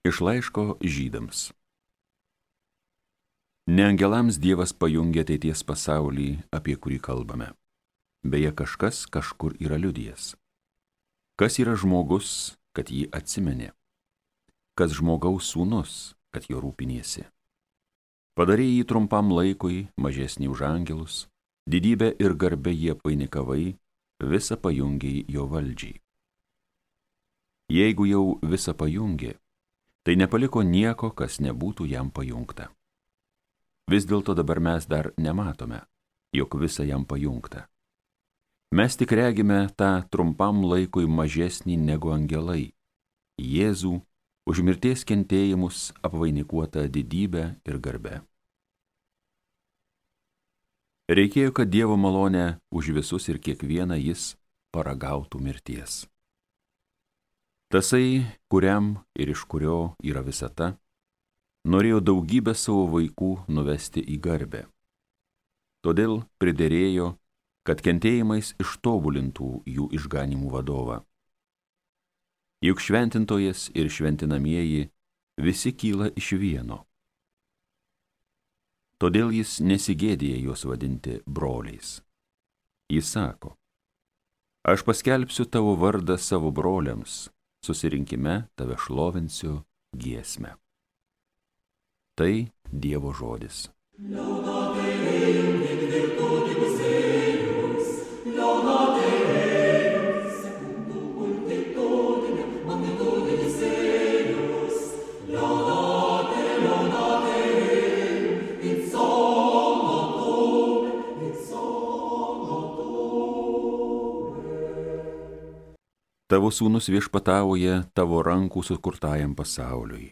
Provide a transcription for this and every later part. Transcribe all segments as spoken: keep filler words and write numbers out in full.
Iš laiško Žydams. Ne angelams Dievas pajungia ateities pasaulį, apie kurį kalbame. Beje, kažkas kažkur yra liudijęs. Kas yra žmogus, kad jį atsimenė? Kas žmogaus sūnus, kad jo rūpiniesi? Padarė jį trumpam laikui, mažesnį už angelus, didybę ir garbę jie painikavai, visą pajungiai jo valdžiai. Jeigu jau visą pajungė, tai nepaliko nieko, kas nebūtų jam pajungta. Vis dėlto dabar mes dar nematome, jog visa jam pajungta. Mes tik regime tą trumpam laikui mažesnį negu angelai, Jėzų, už mirties kentėjimus apvainikuotą didybę ir garbę. Reikėjo, kad Dievo malonę už visus ir kiekvieną jis paragautų mirties. Tasai, kuriam ir iš kurio yra visata, norėjo daugybę savo vaikų nuvesti į garbę. Todėl priderėjo, kad kentėjimais ištobulintų jų išganimų vadovą. Juk šventintojas ir šventinamieji visi kyla iš vieno. Todėl jis nesigėdija juos vadinti broliais. Jis sako: aš paskelbsiu tavo vardą savo broliams, susirinkime tave šlovinsiu giesmę. Tai Dievo žodis. Tavo sūnus viešpatauja tavo rankų sukurtajam pasauliui.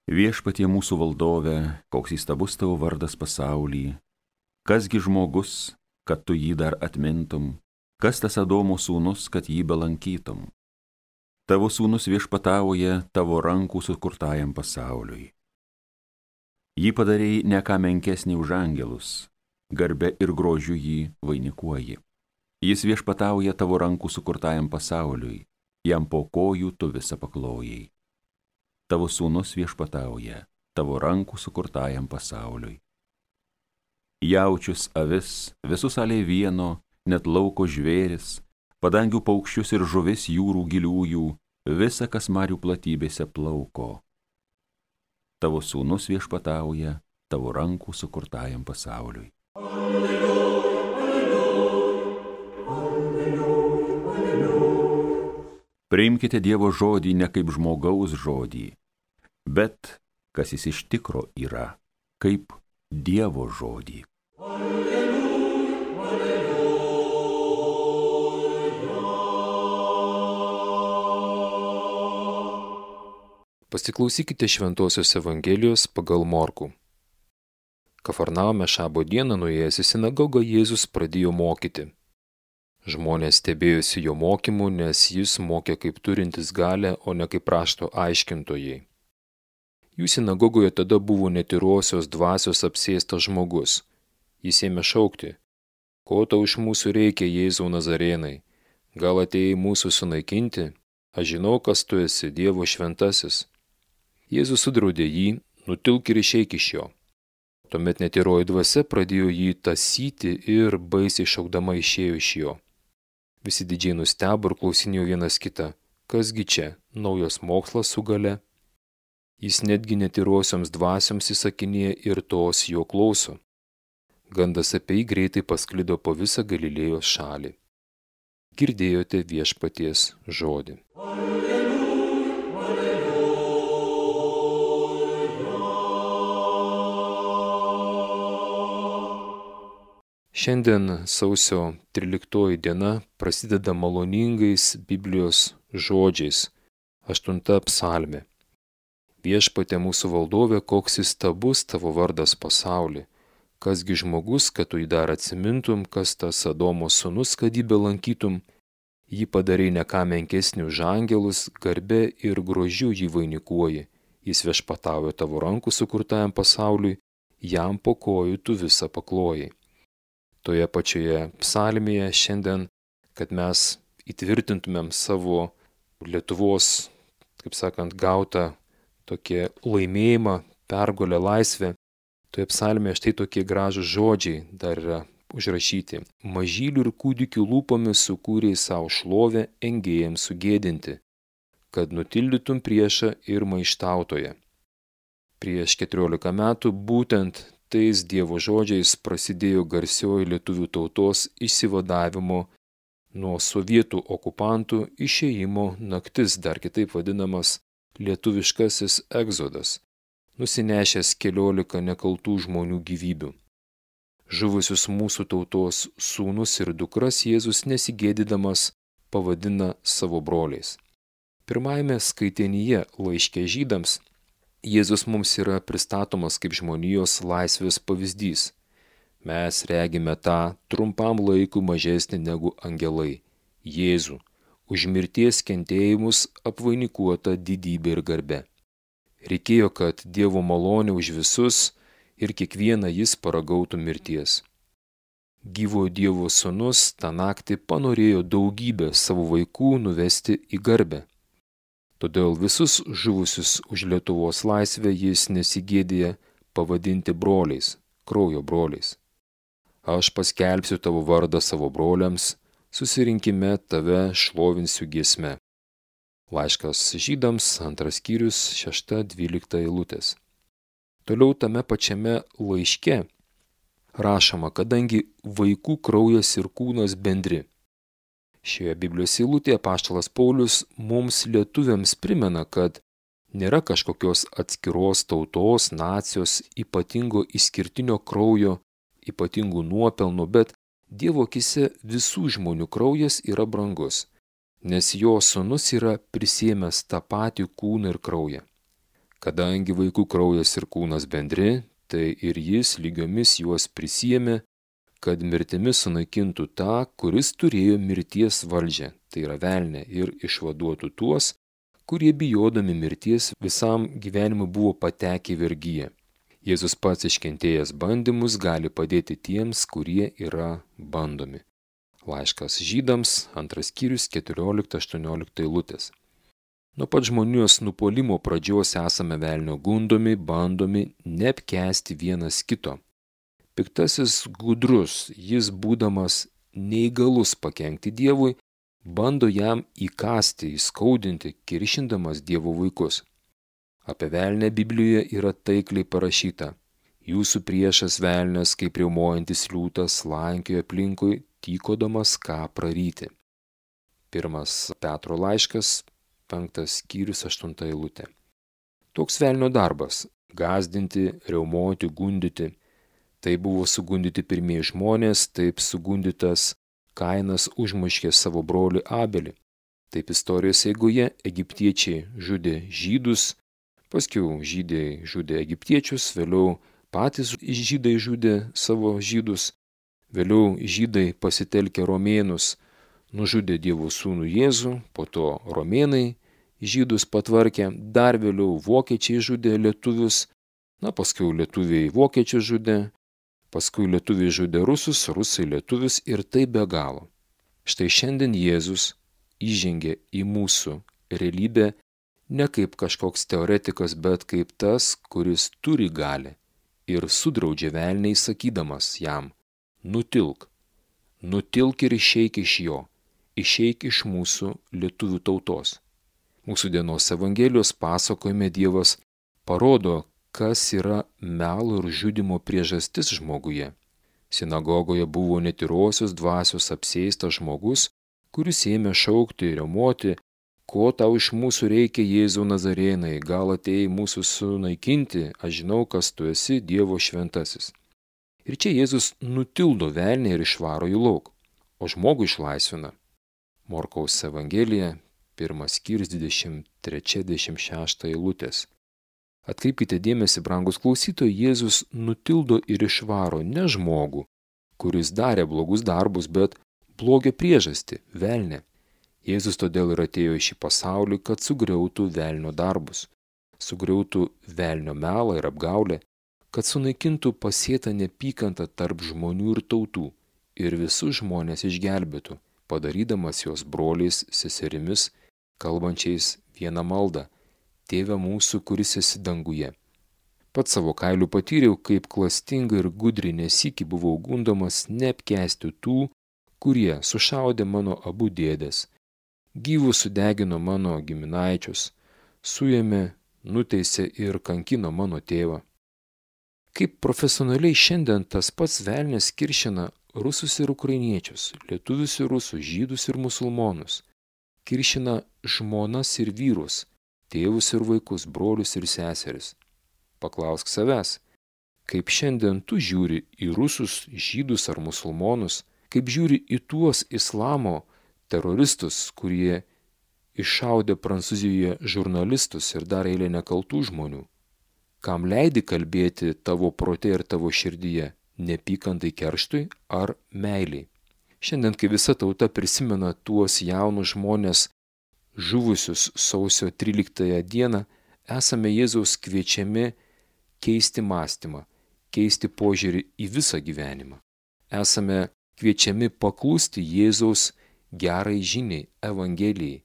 Viešpatie mūsų valdove, koks įstabus tavo vardas pasauly, kasgi žmogus, kad tu jį dar atmintum, kas tas Adomo sūnus, kad jį belankytum. Tavo sūnus viešpatauja tavo rankų sukurtajam pasauliui. Jį padarei ne ką menkesnį už angelus, garbe ir grožiu jį vainikuoji. Jis viešpatauja tavo rankų sukurtajam pasauliui, jam po kojų tu visą paklojai. Tavo sūnus viešpatauja tavo rankų sukurtajam pasauliui. Jaučius, avis, visus alei vieno, net lauko žvėris, padangių paukščius ir žuvis jūrų giliųjų, visa, kas marių platybėse plauko. Tavo sūnus viešpatauja tavo rankų sukurtajam pasauliui. Alleluja. Priimkite Dievo žodį ne kaip žmogaus žodį, bet, kas jis iš tikro yra, kaip Dievo žodį. Alleluja, alleluja. Pasiklausykite Šventosios Evangelijos pagal Morkų. Kafarnaume šabo dieną nuėjęs į sinagogą Jėzus pradėjo mokyti. Žmonės stebėjosi jo mokymu, nes jis mokė kaip turintis galią, o ne kaip rašto aiškintojai. Jų sinagogoje tada buvo netyrosios dvasios apsėstas žmogus. Jis ėmė šaukti: ko tau iš mūsų reikia, Jėzau Nazarėnai? Gal atėjai mūsų sunaikinti? Aš žinau, kas tu esi, Dievo šventasis. Jėzus sudraudė jį: nutilk ir išeik iš jo. Tuomet netyroji dvasia pradėjo jį tąsyti ir baisiai šaukdama išėjo iš jo. Visi didžiai nustebo ir klausinėjo vienas kitą: kasgi čia, naujas mokslas su galia? Jis netgi netyrosioms dvasioms įsakinėja ir tos jo klauso. Gandas apie jį greitai pasklido po visą Galilėjos šalį. Girdėjote viešpaties žodį. Alleluja, alleluja. Šiandien sausio tryliktoji diena prasideda maloningais Biblijos žodžiais, aštunta psalmė. Viešpatie mūsų valdove, koks įstabus tavo vardas pasauly, kasgi žmogus, kad tu jį dar atsimintum, kas tas Adomo sūnus, kad jį belankytum, jį padarei ne ką menkesnį už angelus, garbe ir grožiu jį vainikuoji, jis viešpatauja tavo rankų sukurtajam pasauliui, jam po kojų tu visą paklojai. Toje pačioje psalmėje šiandien, kad mes įtvirtintumėm savo Lietuvos kaip sakant, gautą tokį laimėjimą, pergalę, laisvę. Toje psalmėje štai tokie gražūs žodžiai dar yra užrašyti. Mažylių ir kūdikių lūpomis sukūrei savo šlovę engėjams sugėdinti, kad nutildytum priešą ir maištautoje. Prieš keturiolika metų būtent tais Dievo žodžiais prasidėjo garsioji lietuvių tautos išsivadavimo nuo sovietų okupantų išėjimo naktis, dar kitaip vadinamas lietuviškasis egzodas, nusinešęs keliolika nekaltų žmonių gyvybių. Žuvusius mūsų tautos sūnus ir dukras Jėzus nesigėdydamas pavadina savo broliais. Pirmajame skaitinyje laiške žydams Jėzus mums yra pristatomas kaip žmonijos laisvės pavyzdys. Mes regime tą trumpam laikui mažesnį negu angelai, Jėzų, už mirties kentėjimus apvainikuotą didybę ir garbę. Reikėjo, kad Dievo malonė už visus ir kiekvieną jis paragautų mirties. Gyvojo Dievo sūnus tą naktį panorėjo daugybę savo vaikų nuvesti į garbę. Todėl visus žuvusius už Lietuvos laisvę jis nesigėdija pavadinti broliais, kraujo broliais. Aš paskelbsiu tavo vardą savo broliams, susirinkime tave šlovinsiu giesme. Laiškas žydams, antras skyrius, šešta dvylikta eilutės. Toliau tame pačiame laiške rašoma, kadangi vaikų kraujas ir kūnas bendri. Šioje Biblijos eilutėje apaštalas Paulius mums lietuviams primena, kad nėra kažkokios atskiros tautos, nacijos, ypatingo išskirtinio kraujo, ypatingų nuopelnų, bet Dievo akise visų žmonių kraujas yra brangus, nes jo sūnus yra prisiėmęs tą patį kūną ir kraują. Kadangi vaikų kraujas ir kūnas bendri, tai ir jis lygiomis juos prisiėmė, kad mirtimi sunaikintų tą, kuris turėjo mirties valdžią, tai yra velnę, ir išvaduotų tuos, kurie bijodami mirties visam gyvenimui buvo patekę į vergiją. Jėzus pats iškentėjęs bandymus gali padėti tiems, kurie yra bandomi. Laiškas žydams, antras skyrius, keturiolikta aštuoniolikta eilutės. Nuo pat žmonijos nupuolimo pradžios esame velnio gundomi, bandomi neapkęsti vienas kito. Piktasis gudrus, jis būdamas neįgalus pakenkti Dievui, bando jam įkasti, įskaudinti, kiršindamas Dievo vaikus. Apie velnę Biblijoje yra taikliai parašyta. Jūsų priešas velnias, kaip riaumojantis liūtas, slankioja aplinkui, tykodamas ką praryti. Pirmas Petro laiškas, penktas skyrius, aštunta eilutė. Toks velnio darbas – gąsdinti, riaumoti, gundyti. Tai buvo sugundyti pirmieji žmonės, taip sugundytas Kainas užmuškė savo brolį Abelį. Taip istorijos eigoje egiptiečiai žudė žydus, paskiau žydai žudė egiptiečius, vėliau patys žydai žudė savo žydus, vėliau žydai pasitelkę romėnus nužudė Dievo sūnų Jėzų, po to romėnai žydus patvarkė, dar vėliau vokiečiai žudė lietuvius, na paskiau lietuviai vokiečius žudė, paskui lietuviai žudė rusus, rusai lietuvius ir tai be galo. Štai šiandien Jėzus įžengė į mūsų realybę ne kaip kažkoks teoretikas, bet kaip tas, kuris turi galią ir sudraudžia velniai sakydamas jam, nutilk, nutilk ir išeik iš jo, išeik iš mūsų lietuvių tautos. Mūsų dienos Evangelijos pasakojime Dievas parodo, kas yra melo ir žudimo priežastis žmoguje. Sinagogoje buvo netyrosios dvasios apsėstas žmogus, kuris ėmė šaukti ir riaumoti, ko tau iš mūsų reikia, Jėzau Nazarėnai, gal atėjai mūsų sunaikinti, aš žinau, kas tu esi, Dievo šventasis. Ir čia Jėzus nutildo velnį ir išvaro jį lauk, o žmogų išlaisvina. Morkaus Evangelija, pirmas skyrius, dvidešimt trečia dvidešimt šešta eilutės. Atkreipkite dėmesį, brangus klausytojai, Jėzus nutildo ir išvaro ne žmogų, kuris darė blogus darbus, bet blogio priežastį – velnę. Jėzus todėl ir atėjo į šį pasaulį, kad sugriautų velnio darbus, sugriautų velnio melą ir apgaulę, kad sunaikintų pasėtą neapykantą tarp žmonių ir tautų ir visus žmonės išgelbėtų, padarydamas juos broliais, seserimis, kalbančiais vieną maldą: Tėve mūsų, kuris esi danguje. Pats savo kailiu patyriau, kaip klastingai ir gudriai nesykį buvau gundomas neapkęsti tų, kurie sušaudė mano abu dėdes, gyvus sudegino mano giminaičius, suėmė, nuteisė ir kankino mano tėvą. Kaip profesionaliai šiandien tas pats velnias kiršina rusus ir ukrainiečius, lietuvius ir rusus, žydus ir musulmonus, kiršina žmonas ir vyrus, tėvus ir vaikus, brolius ir seseris. Paklausk savęs, kaip šiandien tu žiūri į rusus, žydus ar musulmonus, kaip žiūri į tuos islamo teroristus, kurie iššaudė Prancūzijoje žurnalistus ir dar eilę nekaltų žmonių. Kam leidi kalbėti tavo prote ir tavo širdyje, nepykantai kerštui ar meiliai? Šiandien, kai visa tauta prisimena tuos jaunus žmonės žuvusius sausio tryliktąją dieną, esame Jėzaus kviečiami keisti mąstymą, keisti požiūrį į visą gyvenimą. Esame kviečiami paklusti Jėzaus gerai žiniai, Evangelijai.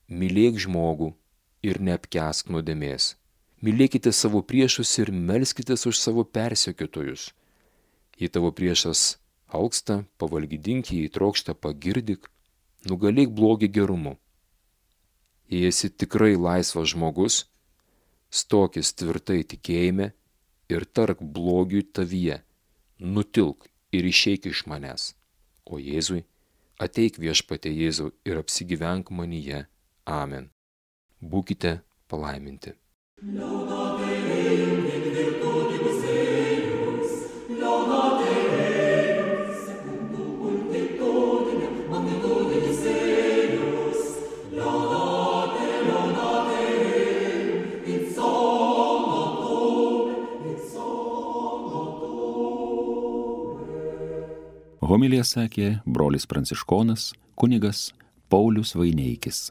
Mylėk žmogų ir neapkęsk nuodėmės. Mylėkite savo priešus ir melskitės už savo persekiotojus. Jei tavo priešas alksta, pavalgydink jį, trokšta pagirdyk, nugalėk blogį gerumu. Jei esi tikrai laisvas žmogus, stokis tvirtai tikėjime ir tark blogiui tavyje, nutilk ir išeik iš manęs. O Jėzui, ateik Viešpatie Jėzau ir apsigyvenk manyje. Amen. Būkite palaiminti. Homiliją sakė brolis pranciškonas kunigas Paulius Vaineikis.